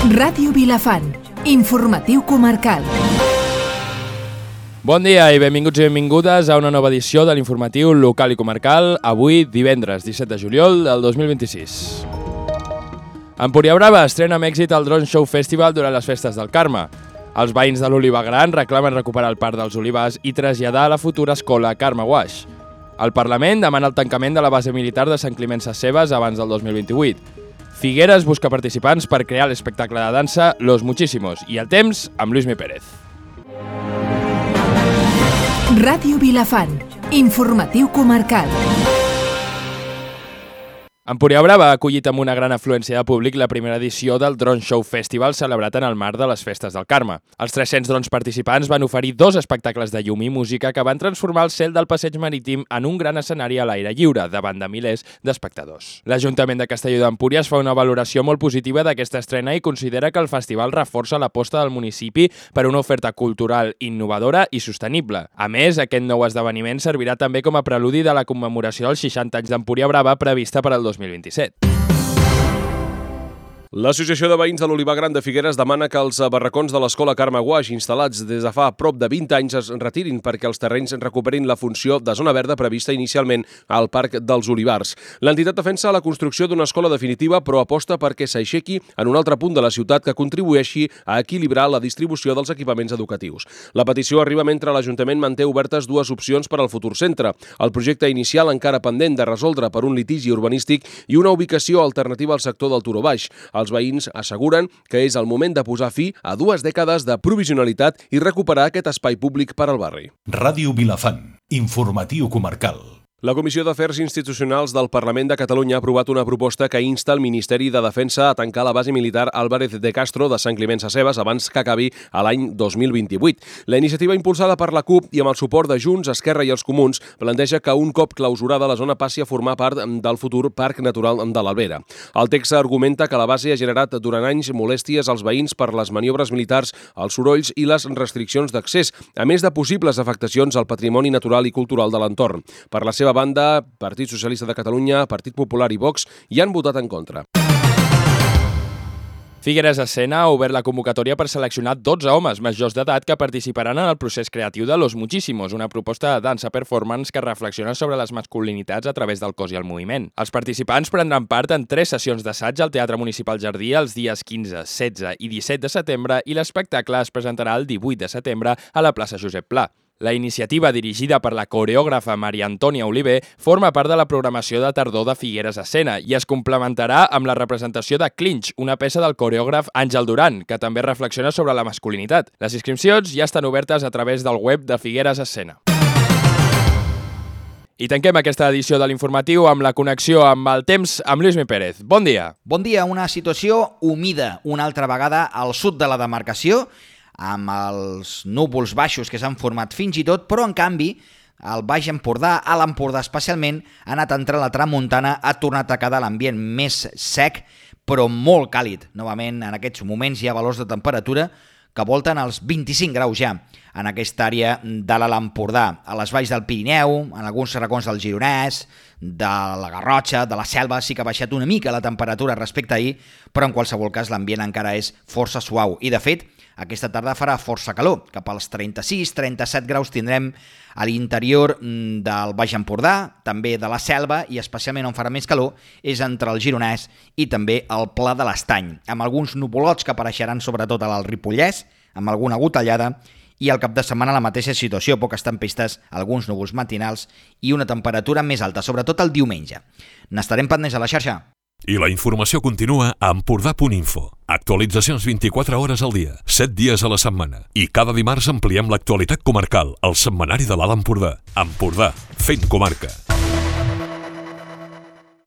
Ràdio Vilafant, informatiu comarcal. Bon dia i benvinguts i benvingudes a una nova edició de l'informatiu local i comarcal, avui divendres 17 de juliol del 2026. Empúria Brava estrena amb èxit el Drone Show Festival durant les festes del Carme. Els veïns de l'Oliva Gran reclamen recuperar el Parc dels Olivars i traslladar a la futura escola Carme Guaix. El Parlament demana el tancament de la base militar de Sant Climent Sescebes abans del 2028. Figueres busca participants per crear l'espectacle de dansa Los Muchísimos i el temps amb Luismi Pérez. Ràdio Vilafant, informatiu comarcal. Empúria Brava ha acollit amb una gran afluència de públic la primera edició del Drone Show Festival celebrat en el marc de les festes del Carme. Els 300 drons participants van oferir 2 espectacles de llum i música que van transformar el cel del passeig marítim en un gran escenari a l'aire lliure, davant de milers d'espectadors. L'Ajuntament de Castelló d'Empúries fa una valoració molt positiva d'aquesta estrena i considera que el festival reforça l'aposta del municipi per una oferta cultural innovadora i sostenible. A més, aquest nou esdeveniment servirà també com a preludi de la commemoració dels 60 anys d'Empúria Brava prevista per al 2027. L'Associació de Veïns de l'Oliva Gran de Figueres demana que els barracons de l'escola Carme Guaix, instal·lats des de fa prop de 20 anys, es retirin perquè els terrenys recuperin la funció de zona verda prevista inicialment al Parc dels Olivars. L'entitat defensa la construcció d'una escola definitiva, però aposta perquè s'aixequi en un altre punt de la ciutat que contribueixi a equilibrar la distribució dels equipaments educatius. La petició arriba mentre l'Ajuntament manté obertes 2 opcions per al futur centre. El projecte inicial encara pendent de resoldre per un litigi urbanístic i una ubicació alternativa al sector del Turó Baix. Els veïns asseguren que és el moment de posar fi a 2 dècades de provisionalitat i recuperar aquest espai públic per al barri. Ràdio Vilafant, informatiu comarcal. La Comissió d'Afers Institucionals del Parlament de Catalunya ha aprovat una proposta que insta el Ministeri de Defensa a tancar la base militar Álvarez de Castro de Sant Climent Sescebes abans que acabi a l'any 2028. La iniciativa impulsada per la CUP i amb el suport de Junts, Esquerra i els Comuns planteja que un cop clausurada la zona passi a formar part del futur Parc Natural de l'Albera. El text argumenta que la base ha generat durant anys molèsties als veïns per les maniobres militars, els sorolls i les restriccions d'accés, a més de possibles afectacions al patrimoni natural i cultural de l'entorn. Per la seva banda, Partit Socialista de Catalunya, Partit Popular i Vox hi han votat en contra. Figueres Escena ha obert la convocatòria per seleccionar 12 homes majors d'edat que participaran en el procés creatiu de Los Muchísimos, una proposta de dansa performance que reflexiona sobre les masculinitats a través del cos i el moviment. Els participants prendran part en 3 sessions d'assaig al Teatre Municipal Jardí els dies 15, 16 i 17 de setembre i l'espectacle es presentarà el 18 de setembre a la plaça Josep Pla. La iniciativa, dirigida per la coreògrafa Maria Antònia Oliver, forma part de la programació de tardor de Figueres Escena i es complementarà amb la representació de Clinch, una peça del coreògraf Àngel Duran, que també reflexiona sobre la masculinitat. Les inscripcions ja estan obertes a través del web de Figueres Escena. I tanquem aquesta edició de l'informatiu amb la connexió amb el temps amb Luismi Pérez. Bon dia. Bon dia. Una situació humida una altra vegada al sud de la demarcació, amb els núvols baixos que s'han format fins i tot, però en canvi al Baix Empordà, a l'Empordà especialment, ha anat entre la tramuntana, ha tornat a quedar l'ambient més sec, però molt càlid. Novament, en aquests moments hi ha valors de temperatura que volten els 25 graus ja en aquesta àrea de l'Alt Empordà. A les valls del Pirineu, en alguns racons del Gironès, de la Garrotxa, de la Selva, sí que ha baixat una mica la temperatura respecte a ahir, però en qualsevol cas l'ambient encara és força suau. I de fet, aquesta tarda farà força calor, cap als 36-37 graus tindrem a l'interior del Baix Empordà, també de la Selva, i especialment on farà més calor és entre el Gironès i també el Pla de l'Estany, amb alguns nuvolots que apareixeran sobretot a l'Alt Ripollès, amb alguna gotellada, i al cap de setmana la mateixa situació, poques tempestes, alguns núvols matinals i una temperatura més alta, sobretot el diumenge. N'estarem pendents a la xarxa. I la informació continua a empordà.info. Actualitzacions 24 hores al dia, 7 dies a la setmana. I cada dimarts ampliem l'actualitat comarcal, al setmanari de l'Alt Empordà. Empordà, fent comarca.